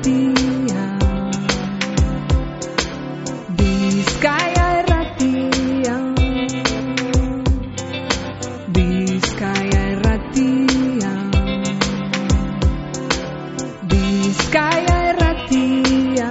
Irratia, Bizkaia Irratia, Bizkaia Irratia, Bizkaia Irratia.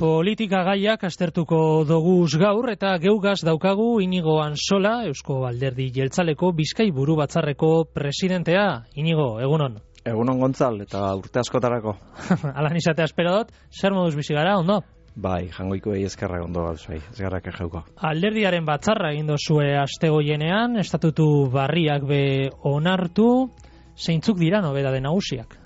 Politika gaiak aztertuko doguz gaur eta geugaz daukagu Inigo Ansola, Eusko Alderdi Jeltzaleko Bizkai Buru Batzarreko presidentea. Inigo, egunon. Egunon Gontzal, eta urte askotarako. Alan izatea espero dut, zer moduz bizi gara, ondo? Bai, jangoiko eskerra ondo gauz, bai, ez garrak ejeuko. Alderdiaren batzarra egin dozue astegoienean, estatutu barriak be onartu, zeintzuk dira nobedade nagusiak?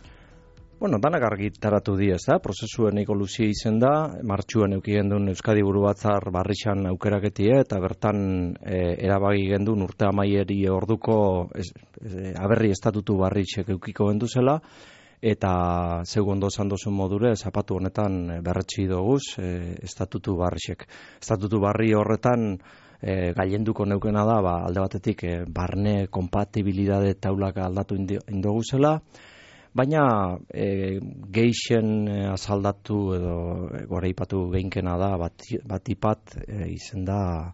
Bueno, danak argitaratu di, ez da, prozesuen nahiko luzia izen da, martxuan euki gendun Euskadi Buru Batzar barrixan aukeraketie, eta bertan erabagi gendun urte amaieri orduko aberri estatutu barrixek eukiko genduzela, eta zeu ondo esan dozun modure, zapatu honetan berretsi doguz estatutu barrixek. Estatutu barri horretan gailenduko neukena da, alde batetik barne kompatibilidade taulak aldatu indoguzela, baina geixen azaldatu edo goreipatu geinkena da batipat izen da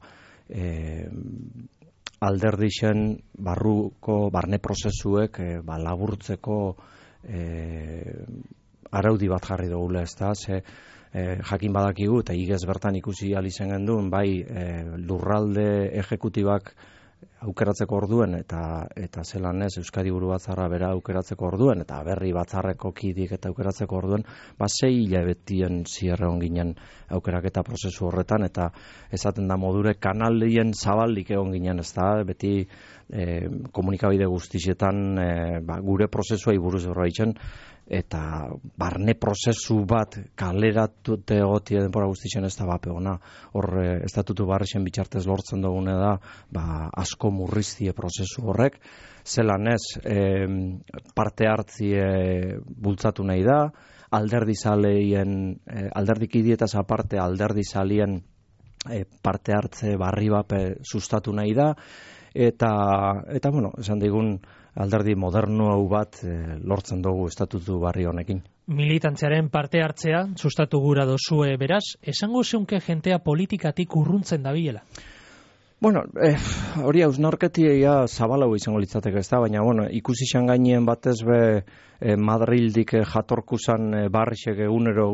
alderdixen barruko barne prozesuek laburtzeko araudi bat jarri dugula, ez da, jakin badakigu eta igez bertan ikusi alizen gendun, bai lurralde ejekutibak aukeratzeko orduen eta zelan ez Euskadi Buru Batzarra bera aukeratzeko orduen eta berri batzarreko kidik eta aukeratzeko orduen 6 hilabetien zierre on ginen aukeraketa prozesu horretan eta esaten da modure kanalien zabaldik egon ginen, ez da, beti komunikabide guztietan gure prozesua buruz horreitzen eta barne prozesu bat kaleratute egotie denbora guztien ez da bape ona. Hor estatutu barrixen bitxartez lortzen dugune da asko murriztie prozesu horrek, zelan ez parte hartzie bultzatu nahi da, alderdikidietaz aparte alderdizalien parte hartze barri bape sustatu nahi da, eta bueno, esan digun alderdi moderno hau bat lortzen dugu estatutu barri honekin. Militantziaren parte hartzea sustatu gura dozue beraz, esango zeunke jentea politikatik urruntzen dabilela? Bueno, hori hausnarketia zabalau izango litzateke, ez da, baina bueno, ikusi xan gainien batez be Madrildik jatorkuzan barrixek egunero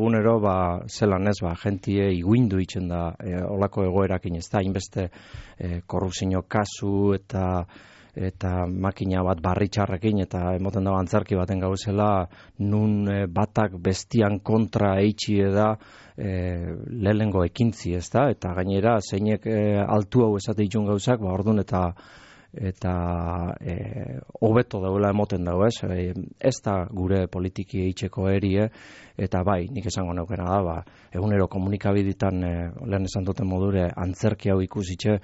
zelan ez, jentie iguindu itzen da olako egoerakin, ez da, hainbeste korrupzio kasu eta makina bat barritxarrekin eta emoten da antzarki baten gauzela nun batak bestian kontra eitxie da lehengo ekintzi, ez da, eta gainera zeinek altu hau esate itxun gauzak, ordun eta hobeto dauela emoten dago, ez da gure politiki eitzeko erie, eta bai, nik esango neukena da, egunero komunikabiditan lehen esan duten modure antzerki hau ikusitxe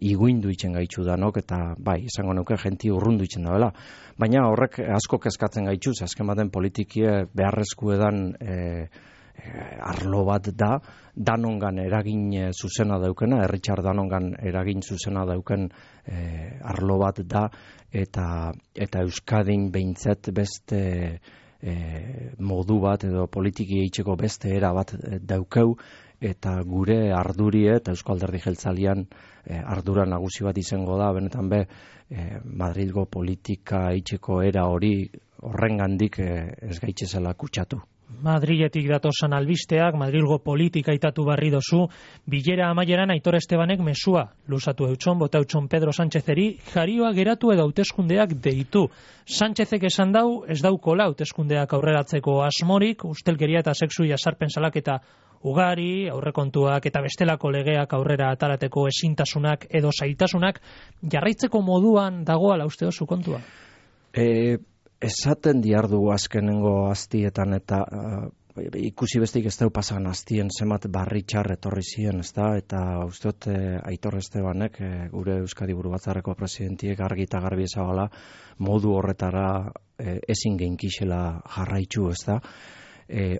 iguindu itzen gaitxu danok, eta bai, esango neuke jenti urrundu itzen dagoela. Baina horrek asko kezkatzen gaitxuz, azken baten politikie beharrezku edan arlo bat da, danongan eragin zuzena daukena, Richard Danongan eragin zuzena dauken arlo bat da, eta Euskadin behintzat beste modu bat edo politiki eitzeko beste era bat daukeu, eta gure ardurie eta Eusko Alderdi Jeltzalean ardura nagusi bat izango da, benetan Madrilgo politika eitzeko era hori horrengandik ez gaitzezela kutsatu. Madriletik datosan albisteak, Madrilgo politika itatu barri dozu, bilera amaieran Aitor Estebanek mesua luzatu eutxon, bota eutxon Pedro Sánchezeri, jarioa geratu edo hauteskundeak deitu. Sánchezek esan dau, ez daukola hauteskundeak aurreratzeko asmorik, ustelkeria eta sexu jasarpen salaketa ugari, aurrekontuak eta bestelako legeak aurrera atarateko ezintasunak edo zailtasunak jarraitzeko moduan dagoala uste dozu kontua? Esaten diardugu azkenengo aztietan eta ikusi bestik ez dau pasan aztien zemat barritxar etorri ziren, ez da, eta usteot Aitor Estebanek, gure Euskadi Buru Batzarreko presidentiek argi eta garbi ezagala modu horretara ezin geinkixela jarraitzu, ez da.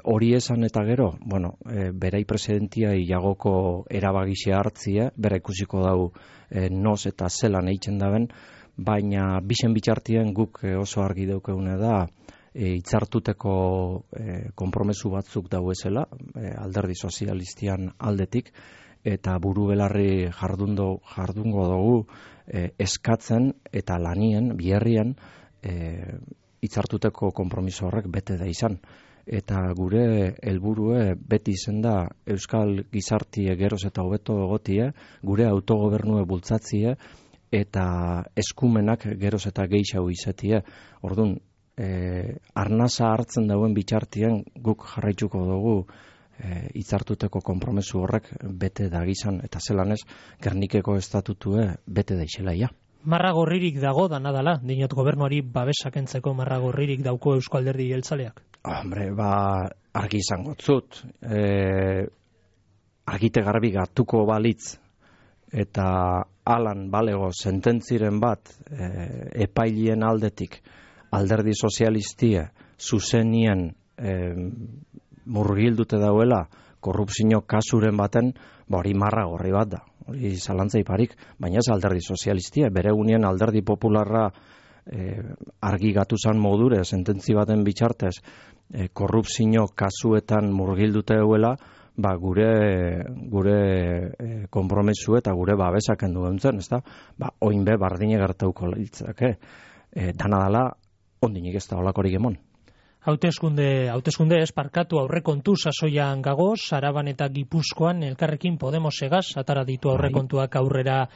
Hori esan eta gero, bueno, berai presidentia iagoko erabagixea hartzia, bera ikusiko dau noz eta zelan eitzen daben, baina bisen bitxartien guk oso argi daukeune da, hitzartuteko konpromesu batzuk dauezela, alderdi sozialistian aldetik, eta buru belarri jardungo dugu eskatzen eta lanien, biherrien, hitzartuteko konpromiso horrek bete da izan. Eta gure helburue beti izen da Euskal Gizartie geroz eta hobeto egotie, gure autogobernue bultzatzie, eta eskumenak geroz eta gehiago izatie. Orduan, arnasa hartzen dauen bitxartien guk jarraituko dugu hitzartuteko konpromesu horrek bete da gizan, eta zelan ez, Gernikeko estatutue bete da iselaia. Marra gorririk dago da nadala, dinot gobernuari babesakentzeko marra gorririk dauko Eusko Alderdi Jeltzaleak? Hombre, argi izango zut. Argite garbi gatuko balitz eta alan balego sententziren bat epailien aldetik alderdi sozialistia zuzenien murgildute dauela korrupzio kasuren baten, hori marra gorri bat da. Hori zalantza iparik, baina ez alderdi sozialistia, bere unien alderdi popularra argi gatu zan modure, sententzi baten bitxartez, korrupzio kasuetan murgildute dauela, gure konpromesu eta gure babesaken duen zen, ezta? Oinbe bardine gertauko litzake. Dana dala, ondinik ez da olakorik emon. Hauteskunde esparkatu aurrekontu sasoian gagoz, Araban eta Gipuzkoan elkarrekin Podemosegaz atara ditu aurrekontuak aurrera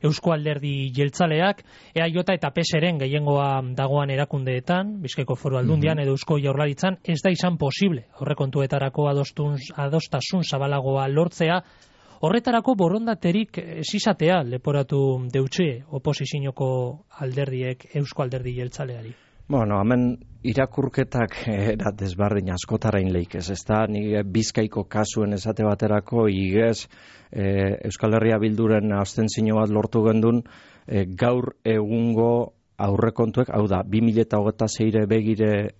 Eusko Alderdi Jeltzaleak, EAJ eta PSren gehiengoa dagoan erakundeetan, Bizkaiko Foru Aldundian edo Eusko Jaurlaritzan, ez da izan posible aurrekontuetarako adostasun zabalagoa lortzea. Horretarako borondaterik ez izatea leporatu deutxe oposizioko alderdiek Eusko Alderdi Jeltzaleari. Bueno, hemen irakurketak desbardin askotarain leikez, ez da, ni Bizkaiko kasuen esate baterako igez Euskal Herria Bilduren abstentzio bat lortu gendun gaur egungo aurrekontuek, hau da, 2026 begire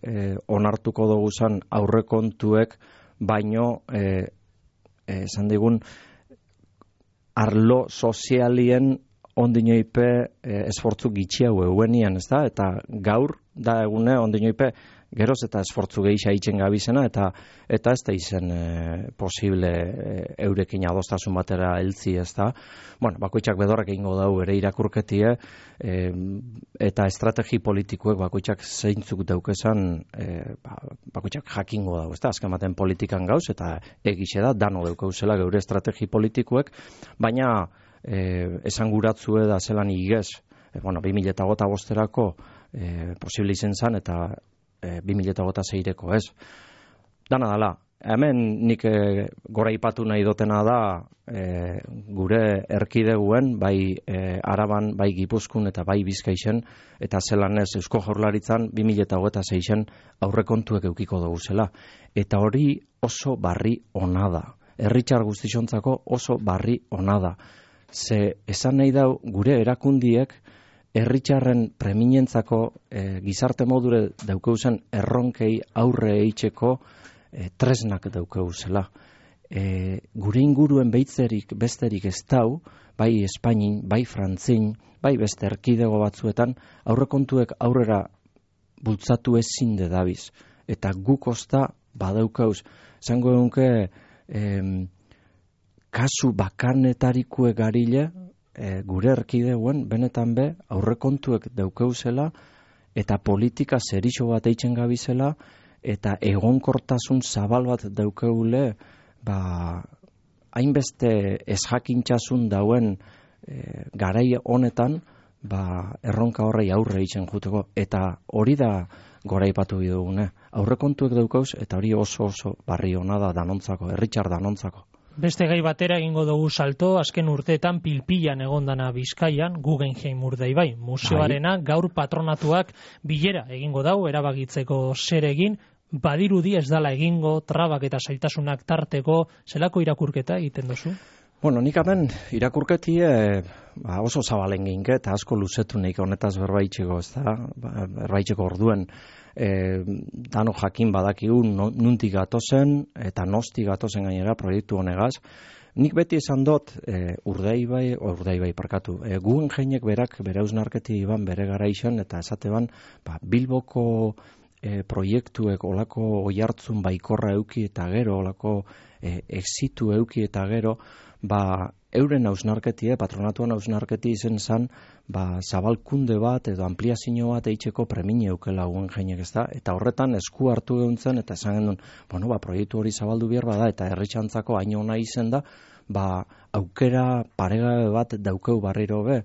onartuko dugu zan aurrekontuek, baino esan digun arlo sozialien ondinoipe esfortzu gitxiago euenian, ez da, eta gaur da egune ondinoipe geroz eta esfortzu gehiago itzen gabizena, eta ez da izen posible eurekin adostasun batera heltzi, ez da. Bueno, bakoitzak bedorrak egingo dau ere irakurketie, eta estrategi politikuek bakoitzak zeintzuk daukezan, bakoitzak jakingo dau, ez da, azken baten politikan gauz, eta egixe da, dano daukauzela geure estrategi politikuek, baina esanguratzue da zelan igez, 2025erako posible izen zan, eta 2026erako ez. Dana dala, hemen nik gora ipatu nahi dotena da gure erkideguen, bai Araban, bai Gipuzkoan eta bai Bizkaixen, eta zelan ez Eusko Jaurlaritzan 2026en aurrekontuek eukiko dugu zela. Eta hori oso barri ona da. Herritar guztixontzako oso barri ona da. Ze esan nahi dau gure erakundiek herritarren preminentzako gizarte modure daukeuzen erronkei aurre eitzeko tresnak daukeuzela. Gure inguruen besterik ez dau, bai Espainin, bai Frantzin, bai beste erkidego batzuetan, aurrekontuek aurrera bultzatu ezin dabiz. Eta guk osta badaukauz. Zango egunke kasu bakanetarikue garile, gure erkideuen benetan be aurrekontuek daukeuzela eta politika zerixo bat eitzen gabizela eta egonkortasun zabal bat daukeule hainbeste ezjakintzasun dauen garai honetan erronka horrei aurre eitzen juteko, eta hori da goraipatu bidugune. Aurrekontuek daukauz eta hori oso barri ona da danontzako, herritar danontzako. Beste gai batera egingo dugu salto, azken urteetan pilpilan egondana Bizkaian, Guggenheim Urdaibai museoarena, gaur patronatuak bilera egingo dau, erabakitzeko zer egin, badirudi ez dala egingo, trabak eta zailtasunak tarteko, zelako irakurketa egiten duzu? Bueno, nik hemen irakurketie oso zabalen ginke, eta asko luzetu nik honetaz berbaitxeko, ez da, berbaitxeko orduen. dano jakin badakigu nuntik gatozen eta nosti gatozen gainera proiektu honegaz. Nik beti esan dut, Urdaibai, Guggenheimek berak bere hausnarketi iban bere garaixen eta esateban Bilboko proiektuek olako oihartzun baikorra euki eta gero, olako exitu euki eta gero, euren hausnarketi, patronatuan hausnarketi izen zan, zabalkunde bat edo ampliazio bat eitzeko premini eukela Guggenheimek, ezta? Eta horretan esku hartu geuntzen eta esan genuen, proiektu hori zabaldu behar bada eta herritxantzako hain ona izen da, aukera paregabe bat daukeu barriro be,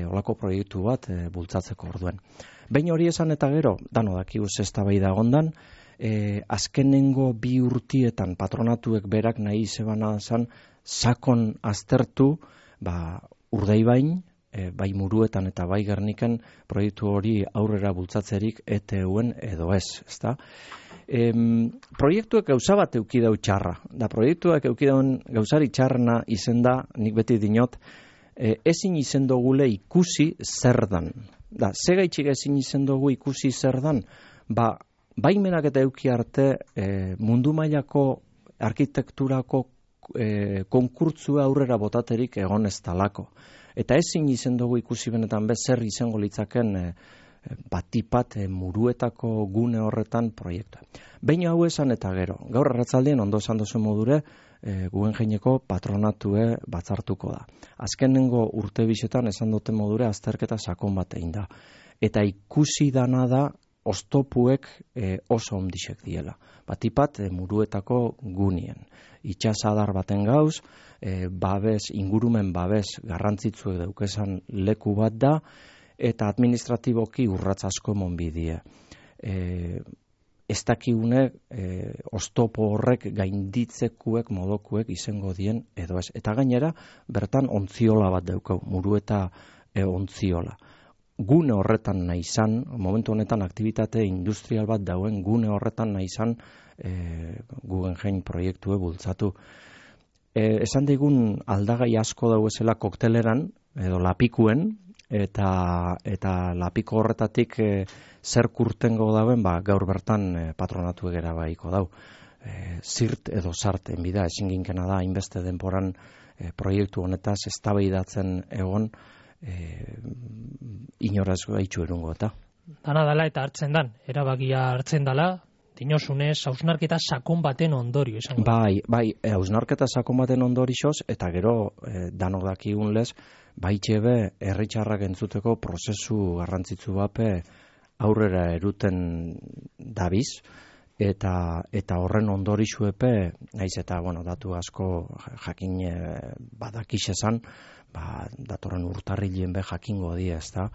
olako proiektu bat bultzatzeko orduen. Behin hori esan eta gero, dano dakigu eztabaida egondan, azkenengo 2 urtietan patronatuek berak nahi zebana zan, sakon aztertu, Urdaibain, bai Muruetan eta bai Gerniken proiektu hori aurrera bultzatzerik ETUen edo ez, ezta? Proiektuek gauza bat eukidau txarra, da proiektuak eukidauen gauzari txarrena izen da, nik beti dinot, ezin izen dugule ikusi zer dan. Da, segaitxik ezin izen dugu ikusi zer dan, baimenak eta euki arte mundu mailako arkitekturako konkurtzua aurrera botaterik egon ez talako. Eta ezin izen dugu ikusi benetan zer izango litzaken batipat Muruetako gune horretan proiektua. Behin hau esan eta gero, gaur arratzaldien ondo esan dozu modure, Guggenheimeko patronatue batzartuko da. Azkenengo urte bisetan esan dute modure azterketa sakon bat egin da. Eta ikusi dana da oztopuek oso ondixek diela. Batipat Muruetako gunien. Itxasadar baten gauz, ingurumen babes garrantzitzuek daukezan leku bat da, eta administratiboki urratz asko monbidie. Ez dakigune oztopo horrek gainditzekuek modokuek izango dien edo ez. Eta gainera, bertan ontziola bat daukau, Murueta ontziola. Gune horretan nahi izan, momentu honetan aktibitate industrial bat dauen gune horretan nahi izan Guggenheim proiektue bultzatu. Esan digun aldagai asko dauezela kokteleran, edo lapikuen, eta lapiko horretatik zer kurtengo dauen, gaur bertan patronatu egera baiko dau. Zirt edo sarten bida, ezin ginkena da, hainbeste denporan proiektu honetaz eztabaidatzen egon, inoraz gaitxu erungo eta. Dana dala eta hartzen dan, erabakia hartzen dala, dinosunez, hausnarketa sakon baten ondorio esango. Bai, hausnarketa sakon baten ondorioz, eta gero danok dakigun lez, baitxebe herritxarrak entzuteko prozesu garrantzitsu bape aurrera eruten dabiz, eta horren ondorixuepe, naiz eta, datu asko jakin badakiz esan, datorren urtarrilen be jakingo die, ezta.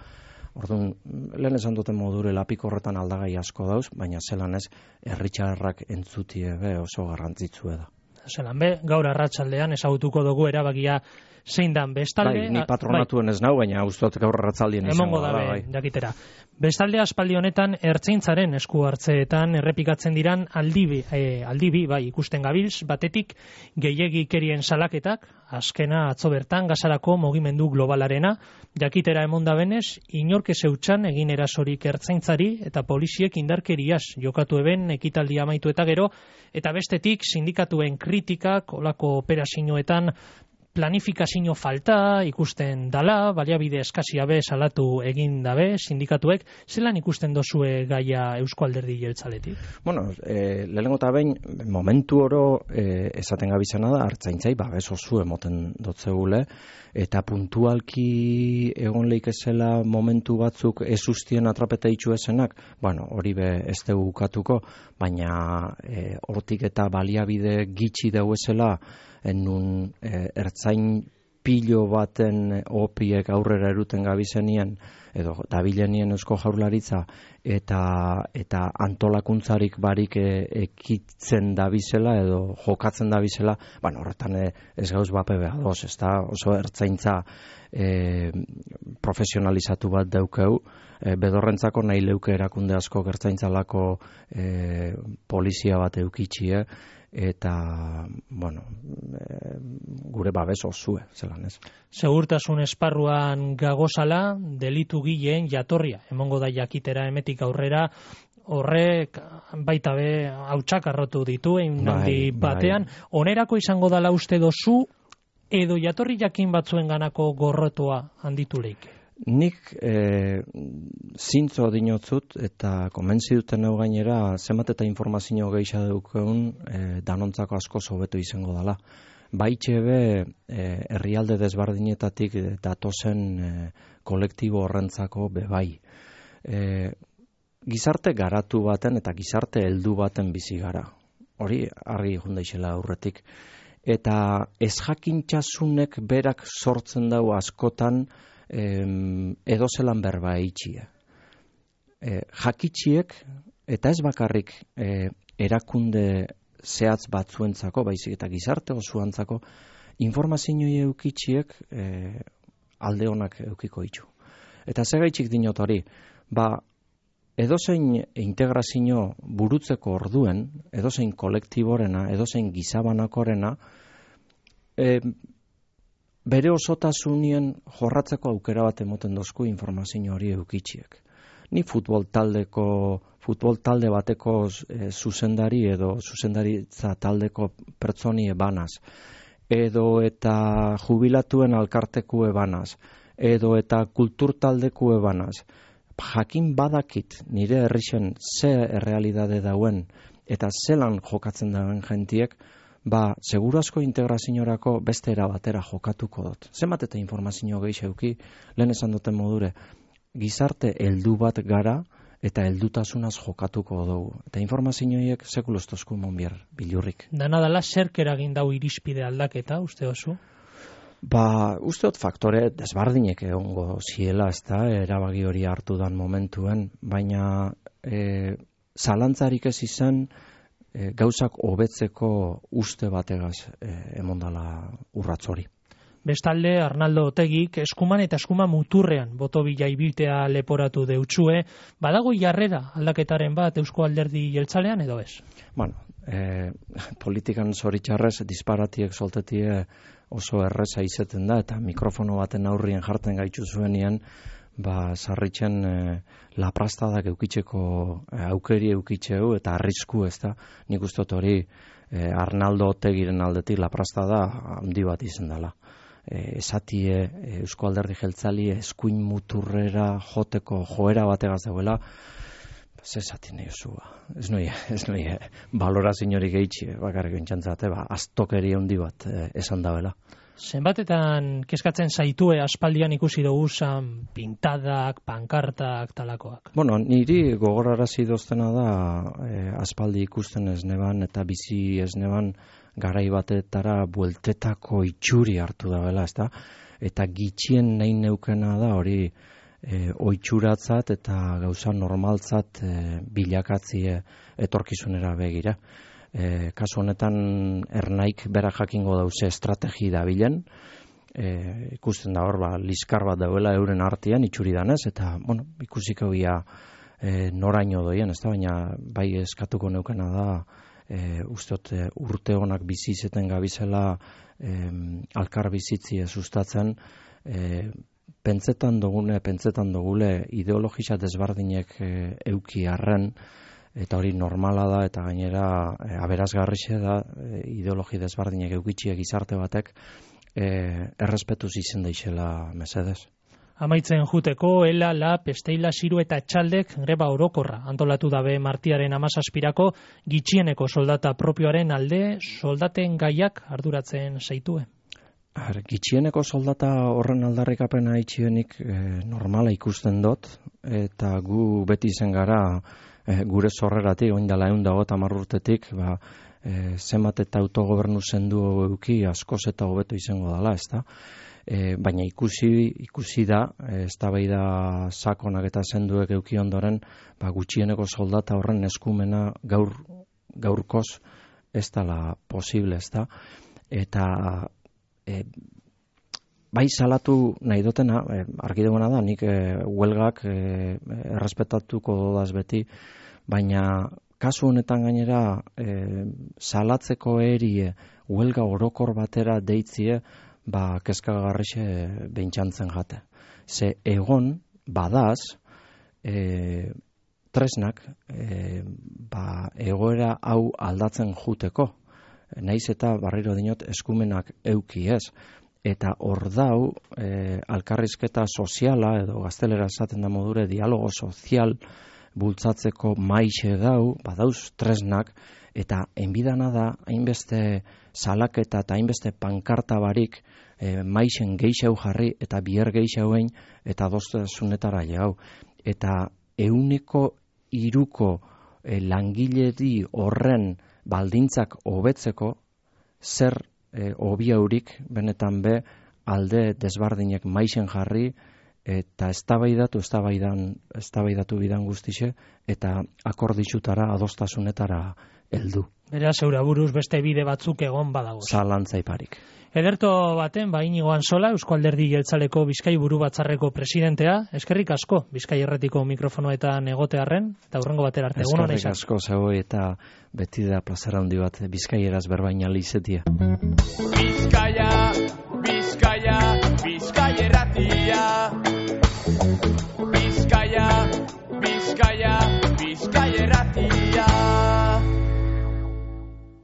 Orduan, lehen esan duten modure lapiko horretan aldagai asko dauz, baina zelan ez, herritxarrak entzutie be oso garrantzitsue da. Zelan be, gaur arratsaldean ezagutuko dugu erabakia zein dan bestalde. Ni patronatuen ez nau, baina ustot gaur arratsaldien izango da. Jakitera. Bestalde aspaldi honetan ertzaintzaren esku hartzeetan errepikatzen diran aldibi, ikusten gabilz, batetik gehiagikerien salaketak, azkena atzo bertan gazarako mugimendu globalarena, jakitera emonda benez, inork ezeutxan egin erasorik ertzaintzari eta poliziek indarkeriaz jokatu eben ekitaldia amaitu eta gero, eta bestetik sindikatuen kritikak, olako operazioetan planifikazio falta ikusten dala, baliabide eskasia be salatu egin dabe sindikatuek, zelan ikusten dozue gaia Eusko Alderdi Jeltzaletik? Lehenengo eta behin, momentu oro esaten gabizena da, hartzaintzai babes oso emoten dotzegule, eta puntualki egon leikezela momentu batzuk ez ustien atrapeta itxu esenak, hori be ez dugu ukatuko, baina hortik eta baliabide gitxi dauezela, nun ertzain pilo baten opiek aurrera eruten gabizenien edo dabilenien Eusko Jaurlaritza eta antolakuntzarik barik ekitzen dabizela edo jokatzen dabizela, horretan ez gauz bape behar doz, ez da oso ertzaintza profesionalizatu bat daukeu, bedorrentzako nahi leuke erakunde asko ertzaintzalako polizia bat eukitxie, eta, gure babes osue, zelan ez. Segurtasun esparruan gagozala, delitu gileen jatorria, emongo da jakitera emetik aurrera, horrek baita be hautsak arrotu ditu handi batean. Onerako izango dala uste dozu, edo jatorri jakin batzuen ganako gorrotoa handitu leike? Nik zintzo dinotzut eta konbentzi duten hau gainera zenbat eta informazio gehiago daukeun danontzako asko hobeto izango dela. Baitxe be herrialde desberdinetatik datozen kolektibo horrentzako bebai. Gizarte garatu baten eta gizarte heldu baten bizi gara. Hori argi jundaixela aurretik. Eta ezjakintasunek berak sortzen dau askotan edozelan berba eitxia. Jakitxiek, eta ez bakarrik erakunde zehatz batzuentzako, baizik eta gizarte osoantzako, informazioi eukitxiek alde honak eukiko itxu. Eta zegaitxik dinot hori, edozein integrazio burutzeko orduen, edozein kolektiborena, edozein gizabanakorena, bere osotasunien jorratzeko aukera bat emoten dozku informazio hori eukitxiek. Ni futbol talde bateko zuzendari edo zuzendaritza taldeko pertsoni ebanaz, edo eta jubilatuen alkarteku ebanaz, edo eta kultur taldeku ebanaz, jakin badakit nire herrixen ze errealidade dauen eta zelan jokatzen dauen jentiek, seguru asko integraziorako beste era batera jokatuko dut. Zenbat eta informazio gehiago lehen esan duten modure, gizarte heldu bat gara eta heldutasunaz jokatuko dugu. Eta informazioiek sekulostozku monbier bilurrik. Dana dela zerk eragin dau irizpide aldaketa, uste oso? Uste dut faktore desbardinek egongo ziela, erabaki hori hartu dan momentuen, baina zalantzarik ez izan gauzak hobetzeko uste bategaz emondala urratz hori. Bestalde, Arnaldo Otegik eskuman eta eskuman muturrean botobila ibiltea leporatu deutsue, badago jarrera aldaketaren bat Eusko Alderdi Jeltzalean edo ez? Politikan zoritxarrez disparatiek soltetie oso erreza izeten da, eta mikrofono baten aurrien jartzen gaitzu zuenien, sarritzen laprastadak eukitzeko aukeri eukitzeu eta arrisku ez da. Nik uste hori Arnaldo Otegiren aldetik laprastada handi bat izen dela. Esatie Eusko Alderdi Jeltzali eskuin muturrera joteko joera bategaz dauela, zesati nahi osua. Ez noi baloraziorik gehitxe, bakarrik entxantzate, aztokeri handi bat esan dauela. Zenbatetan kezkatzen zaitue aspaldian ikusi dugu pintadak, pankartak, talakoak? Niri gogorarazi doztena da aspaldi ikusten ez neban eta bizi ez neban garai batetara bueltetako itxuri hartu dabela, ezta? Eta gitxien nahi neukena da hori oitxuratzat eta gauza normaltzat bilakatzie etorkizunera begira. Kasu honetan ernaik bera jakingo dauze estrategi dabilen, ikusten da hor liskar bat dauela euren artean itxuri danez, eta ikusiko ia noraino doien, ez da, baina bai eskatuko neukena da usteot urte honak bizizeten gabizela alkar bizitzie sustatzen, pentsetan dugule ideologisa desbardinek euki arren, eta hori normala da, eta gainera aberazgarrixe da ideologi desbardinek eukitxiek gizarte batek errespetuz izen deixela mesedez. Amaitzen juteko, Ela, Lab, Esteila, Ziru eta Etxaldek greba orokorra antolatu dabe martiaren 17irako gitxieneko soldata propioaren alde soldaten gaiak arduratzen zaitue. Gitxieneko soldata horren aldarrikapena itxienik normala ikusten dut, eta gu beti izen gara gure zorreratik, oindala 150 urtetik, zenbat eta autogobernu sendu euki askoz eta hobeto izango dela, ezta? Baina ikusi da, eztabaida sakonak eta senduek euki ondoren, gutxieneko soldata horren eskumena gaurkoz ez dela posible, ezta? Eta bai salatu nahi dutena, argi duguna da, nik huelgak errespetatuko dodaz beti, baina kasu honetan gainera salatzeko erie huelga orokor batera deitzie, kezkagarrixe beintxantzen jate. Ze egon badaz tresnak egoera hau aldatzen juteko. Naiz eta barriro dinot eskumenak euki ez. Eta hor dau, alkarrizketa soziala, edo gaztelera esaten da modure, dialogo sozial bultzatzeko maixe dau, badauz tresnak, eta enbidana da, hainbeste salaketa eta hainbeste pankarta barik, maixen geixau jarri, eta bier geixauen, eta adostasunetara jau. Eta 1/3 langiledi horren baldintzak hobetzeko, zer hobiaurik benetan be alde desbardinek maixen jarri, eta eztabaidatu bidan guztixe, eta akorditxutara, adostasunetara heldu. Beraz, zeure buruz beste bide batzuk egon badago. Zalantzaiparik. Ederto baten, Inigo Antsola, Eusko Alderdi Jeltzaleko Bizkai Buru Batzarreko presidentea, eskerrik asko Bizkai Irratiko mikrofonoetan egotearren, eta hurrengo batera arte. Eskerrik asko zehoi, eta beti da plazera handi bat Bizkaieraz berbaina lizetia. Bizkaia, Bizkaia, Bizkai Irratia. Bizkaia, Bizkaia.